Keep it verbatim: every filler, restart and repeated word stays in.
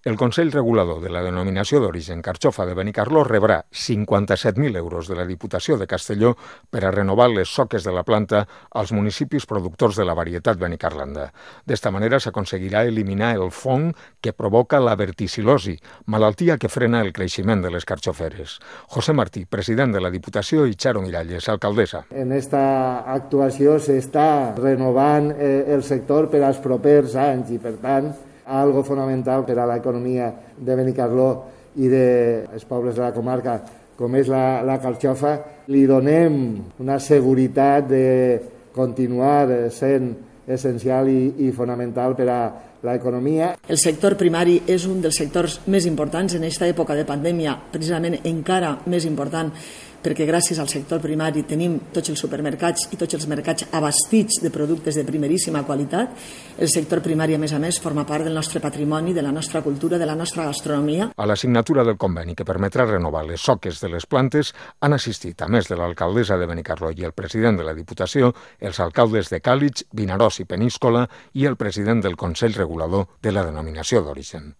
El Consell Regulador de la Denominació d'Origen Carxofa de Benicarló rebrà cinquanta-set mil euros de la Diputació de Castelló per a renovar les soques de la planta als municipis productors de la varietat benicarlanda. D'esta manera s'aconseguirà eliminar el fong que provoca la verticil·losi, malaltia que frena el creixement de les carxoferes. José Martí, president de la Diputació, i Charo Miralles, alcaldessa. En esta actuació s'està renovant eh, el sector per als propers anys i, per tant, algo fonamental per a l'economia de Benicarló i dels pobles de la comarca, com és la, la carxofa. Li donem una seguretat de continuar sent essencial i, i fonamental per a l'economia. El sector primari és un dels sectors més importants en aquesta època de pandèmia, precisament encara més important, perquè gràcies al sector primari tenim tots els supermercats i tots els mercats abastits de productes de primeríssima qualitat. El sector primari, a més a més, forma part del nostre patrimoni, de la nostra cultura, de la nostra gastronomia. A la signatura del conveni que permetrà renovar les soques de les plantes han assistit, a més de l'alcaldessa de Benicarló i el president de la Diputació, els alcaldes de Càlig, Vinaròs i Peníscola i el president del Consell Regulador de la Denominació d'Origen.